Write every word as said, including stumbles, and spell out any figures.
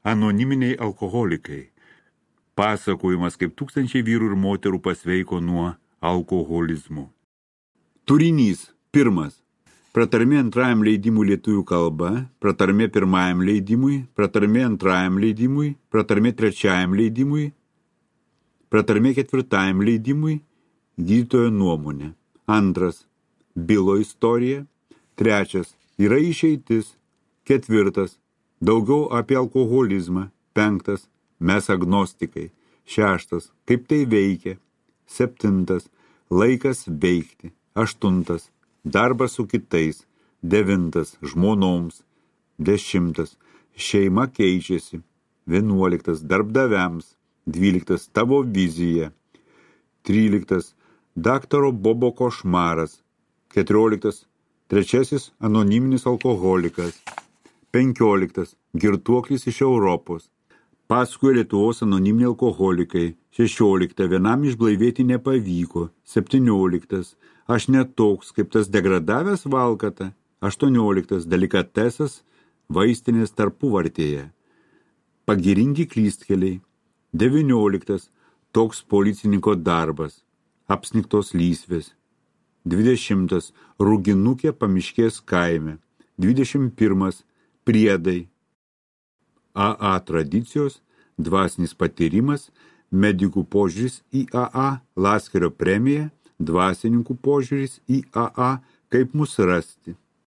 Anoniminiai alkoholikai. Pasakojimas, kaip tūkstančiai vyrų ir moterų pasveiko nuo alkoholizmo. Turinys. Pirmas. Pratarmė antrajam leidimui lietuvių kalba, pratarmė pirmajam leidimui, pratarmė antrajam leidimui, pratarmė trečiajam leidimui, pratarmė ketvirtajam leidimui, gydytojo nuomonė. Antras. Bilo istorija. Trečias. Yra išeitis. Ketvirtas. Daugiau apie alkoholizmą. Penktas. Mes agnostikai. Šeštas. Kaip tai veikia. Septintas. Laikas veikti. Aštuntas. Darbas su kitais. Devintas. Žmonoms. Dešimtas. Šeima keičiasi. Vienuoliktas. Darbdaviams. Dvyliktas. Tavo vizija. Tryliktas. Daktaro Bobo košmaras. Keturioliktas. Trečiasis. Anoniminis alkoholikas. Penkioliktas. Girtuoklis iš Europos. Pasakoja Lietuvos anoniminiai alkoholikai. Šešiolikta. Vienam išblaivėti nepavyko. Septynioliktas. Aš netoks, kaip tas degradavęs valkata. Aštuonioliktas. Delikatesas vaistinės tarpuvartėje. Pagiringi klystkeliai. Devynioliktas. Toks policininko darbas. Apsnigtos lysvės. Dvidešimtas. Rūginukė pamiškės kaime. Dvidešimt pirmas. Priedai. A A tradicijos, dvasinis patyrimas, medikų požiūris į A A, Laskerio premija, dvasininkų požiūris į A A, kaip mus rasti.